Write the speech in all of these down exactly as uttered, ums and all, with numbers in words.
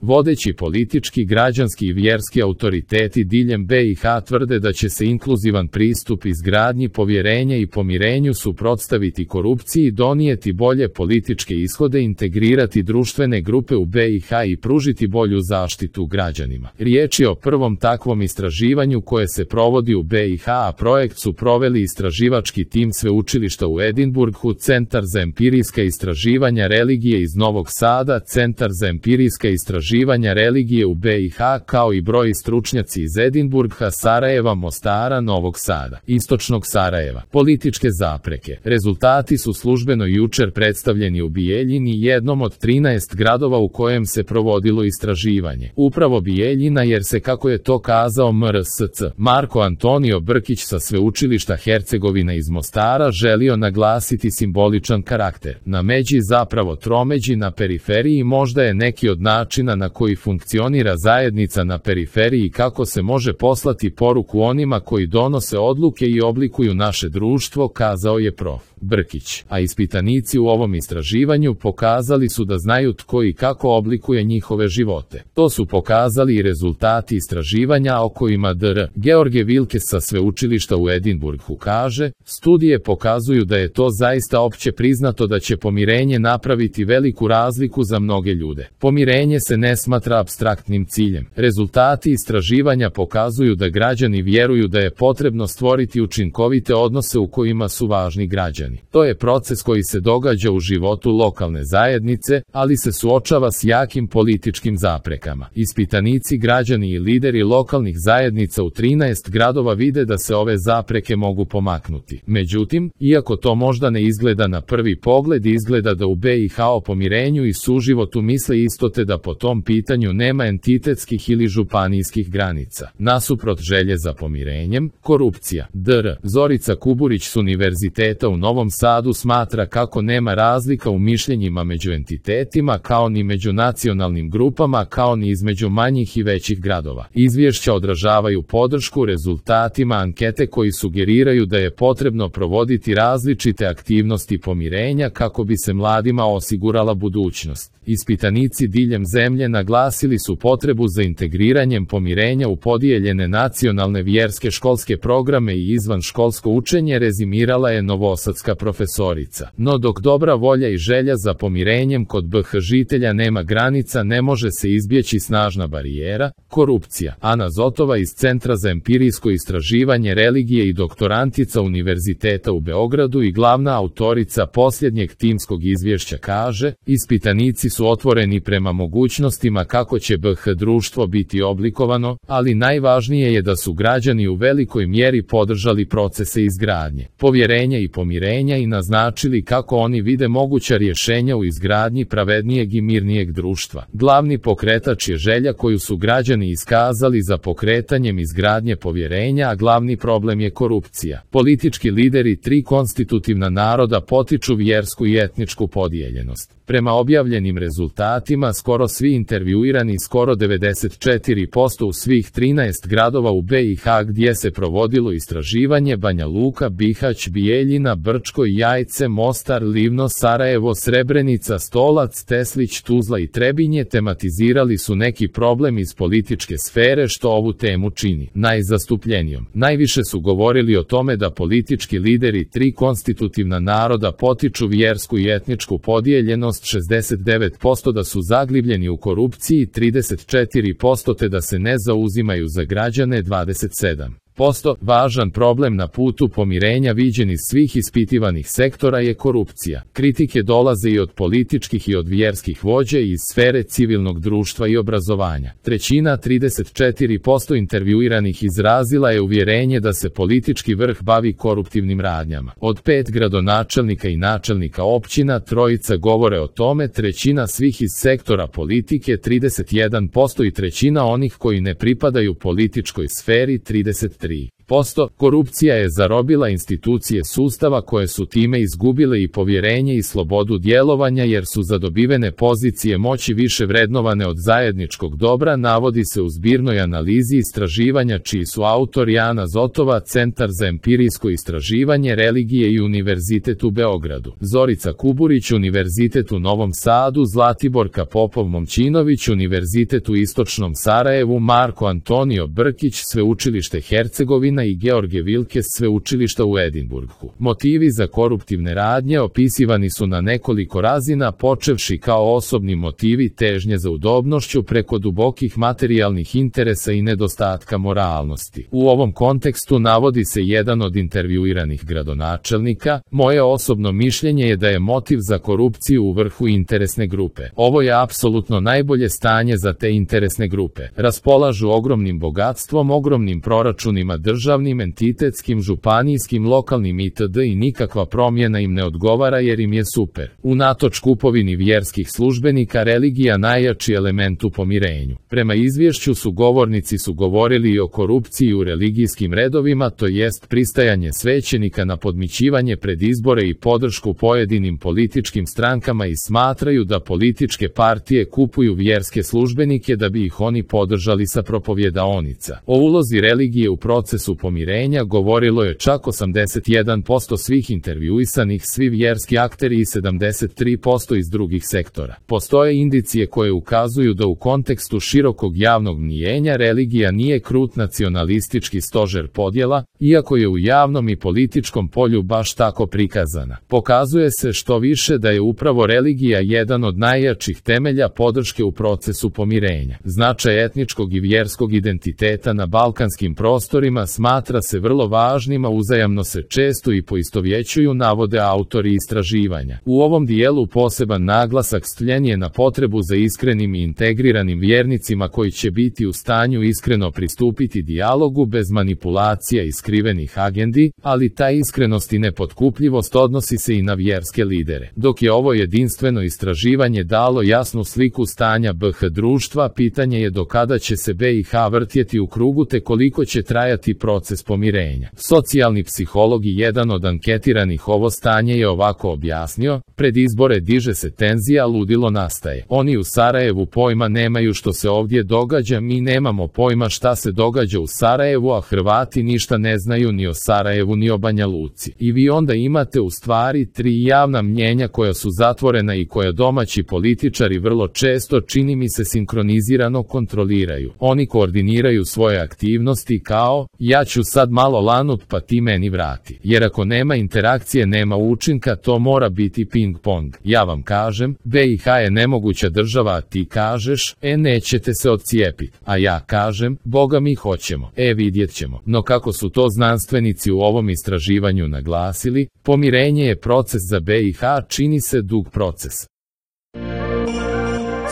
Vodeći politički, građanski i vjerski autoriteti diljem B i H tvrde da će se inkluzivan pristup izgradnji povjerenja i pomirenju suprotstaviti korupciji i donijeti bolje političke ishode, integrirati društvene grupe u B i H i pružiti bolju zaštitu građanima. Riječ je o prvom takvom istraživanju koje se provodi u B i H, a projekt su proveli istraživački tim sveučilišta u Edinburghu, Centar za empirijska istraživanja religije iz Novog Sada, Centar za empirijska istraživanja religije u B i H, kao i broj stručnjaci iz Edinburgha, Sarajeva, Mostara, Novog Sada, Istočnog Sarajeva. Političke zapreke. Rezultati su službeno jučer predstavljeni u Bijeljini, jednom od trinaest gradova u kojem se provodilo istraživanje. Upravo Bijeljina, jer se, kako je to kazao M R S C Marko Antonio Brkić sa sveučilišta Hercegovina iz Mostara, želio naglasiti simboličan karakter. Na međi, zapravo tromeđi na periferiji, možda je neki od načina na koji funkcionira zajednica na periferiji i kako se može poslati poruku onima koji donose odluke i oblikuju naše društvo, kazao je prof Brkić. A ispitanici u ovom istraživanju pokazali su da znaju tko i kako oblikuje njihove živote. To su pokazali i rezultati istraživanja o kojima dr George Wilkes sa sveučilišta u Edinburghu kaže: studije pokazuju da je to zaista opće priznato da će pomirenje napraviti veliku razliku za mnoge ljude. Pomirenje se ne smatra apstraktnim ciljem. Rezultati istraživanja pokazuju da građani vjeruju da je potrebno stvoriti učinkovite odnose u kojima su važni građani. To je proces koji se događa u životu lokalne zajednice, ali se suočava s jakim političkim zaprekama. Ispitanici, građani i lideri lokalnih zajednica u trinaest gradova vide da se ove zapreke mogu pomaknuti. Međutim, iako to možda ne izgleda na prvi pogled, izgleda da u B i H o pomirenju i suživotu misle isto, te da po tom pitanju nema entitetskih ili županijskih granica. Nasuprot želje za pomirenjem, korupcija. dr Zorica Kuburić s Univerziteta u Novom Sadu smatra kako nema razlika u mišljenjima među entitetima, kao ni među nacionalnim grupama, kao ni između manjih i većih gradova. Izvješća odražavaju podršku rezultatima ankete koji sugeriraju da je potrebno provoditi različite aktivnosti pomirenja kako bi se mladima osigurala budućnost. Ispitanici diljem zemlje naglasili su potrebu za integriranjem pomirenja u podijeljene nacionalne vjerske školske programe i izvanškolsko učenje, rezimirala je novosadska profesorica. No dok dobra volja i želja za pomirenjem kod B H žitelja nema granica, ne može se izbjeći snažna barijera, korupcija. Ana Zotova iz Centra za empirijsko istraživanje religije i doktorantica Univerziteta u Beogradu i glavna autorica posljednjeg timskog izvješća kaže: ispitanici su otvoreni prema mogućnostima kako će B H društvo biti oblikovano, ali najvažnije je da su građani u velikoj mjeri podržali procese izgradnje povjerenja i pomirenja i naznačili kako oni vide moguća rješenja u izgradnji pravednijeg i mirnijeg društva. Glavni pokretač je želja koju su građani iskazali za pokretanjem izgradnje povjerenja, a glavni problem je korupcija. Politički lideri tri konstitutivna naroda potiču vjersku i etničku podijeljenost. Prema objavljenim rezultatima, skoro svi intervjuirani, skoro devedeset četiri posto u svih trinaest gradova u B i H gdje se provodilo istraživanje, Banja Luka, Bihać, Bijeljina, Brčko, Jajce, Mostar, Livno, Sarajevo, Srebrenica, Stolac, Teslić, Tuzla i Trebinje, tematizirali su neki problem iz političke sfere, što ovu temu čini najzastupljenijom. Najviše su govorili o tome da politički lideri tri konstitutivna naroda potiču vjersku i etničku podijeljenost, šezdeset devet posto da su zaglibljeni u korupciji, trideset četiri posto te da se ne zauzimaju za građane, dvadeset sedam posto. Važan problem na putu pomirenja viđen iz svih ispitivanih sektora je korupcija. Kritike dolaze i od političkih i od vjerskih vođa i iz sfere civilnog društva i obrazovanja. Trećina, trideset četiri posto intervjuiranih izrazila je uvjerenje da se politički vrh bavi koruptivnim radnjama. Od pet gradonačelnika i načelnika općina, trojica govore o tome, trećina svih iz sektora politike, trideset jedan posto, i trećina onih koji ne pripadaju političkoj sferi, trideset tri posto. Korupcija je zarobila institucije sustava koje su time izgubile i povjerenje i slobodu djelovanja jer su zadobivene pozicije moći više vrednovane od zajedničkog dobra, navodi se u zbirnoj analizi istraživanja čiji su autori Ana Zotova, Centar za empirijsko istraživanje religije i Univerzitet u Beogradu, Zorica Kuburić, Univerzitet u Novom Sadu, Zlatiborka Popov-Momčinović, Univerzitet u Istočnom Sarajevu, Marko Antonio Brkić, Sveučilište Hercegovina i George Wilkes, Sveučilišta u Edinburgu. Motivi za koruptivne radnje opisivani su na nekoliko razina, počevši kao osobni motivi težnje za udobnošću preko dubokih materijalnih interesa i nedostatka moralnosti. U ovom kontekstu navodi se jedan od intervjuiranih gradonačelnika: moje osobno mišljenje je da je motiv za korupciju u vrhu interesne grupe. Ovo je apsolutno najbolje stanje za te interesne grupe. Raspolažu ogromnim bogatstvom, ogromnim proračunima državnim, entitetskim, županijskim, lokalnim itd. i nikakva promjena im ne odgovara jer im je super. Unatoč kupovini vjerskih službenika religija najjači element u pomirenju. Prema izvješću su govornici su govorili i o korupciji u religijskim redovima, to jest pristajanje svećenika na podmićivanje pred izbore i podršku pojedinim političkim strankama i smatraju da političke partije kupuju vjerske službenike da bi ih oni podržali sa propovjedaonica. O ulozi religije u procesu pomirenja govorilo je čak osamdeset jedan posto svih intervjuisanih, svi vjerski akteri i sedamdeset tri posto iz drugih sektora. Postoje indicije koje ukazuju da u kontekstu širokog javnog mnijenja religija nije krut nacionalistički stožer podjela, iako je u javnom i političkom polju baš tako prikazana. Pokazuje se što više da je upravo religija jedan od najjačih temelja podrške u procesu pomirenja. Značaj etničkog i vjerskog identiteta na balkanskim prostorima smatra se vrlo važnim, a uzajamno se često i poistovjećuju, navode autori istraživanja. U ovom dijelu poseban naglasak stavljen je na potrebu za iskrenim i integriranim vjernicima koji će biti u stanju iskreno pristupiti dijalogu bez manipulacija i skrivenih agendi, ali ta iskrenost i nepotkupljivost odnosi se i na vjerske lidere. Dok je ovo jedinstveno istraživanje dalo jasnu sliku stanja B H društva, pitanje je do kada će se B i H vrtjeti u krugu te koliko će trajati proces pomirenja. Socijalni psiholog i jedan od anketiranih ovo stanje je ovako objasnio: pred izbore diže se tenzija, ludilo nastaje. Oni u Sarajevu pojma nemaju što se ovdje događa, mi nemamo pojma šta se događa u Sarajevu, a Hrvati ništa ne znaju ni o Sarajevu ni o Banja Luci. I vi onda imate u stvari tri javna mnjenja koja su zatvorena i koja domaći političari vrlo često, čini mi se, sinkronizirano kontroliraju. Oni koordiniraju svoje aktivnosti kao: ja ću sad malo lanut pa ti meni vrati. Jer ako nema interakcije nema učinka, to mora biti ping pong. Ja vam kažem, B i H je nemoguća država, a ti kažeš, e nećete se odcijepiti. A ja kažem, boga mi hoćemo. E vidjet ćemo. No kako su to znanstvenici u ovom istraživanju naglasili, pomirenje je proces za B i H, čini se dug proces.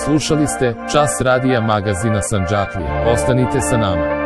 Slušali ste Čas radija magazina Sandžaklije. Ostanite sa nama.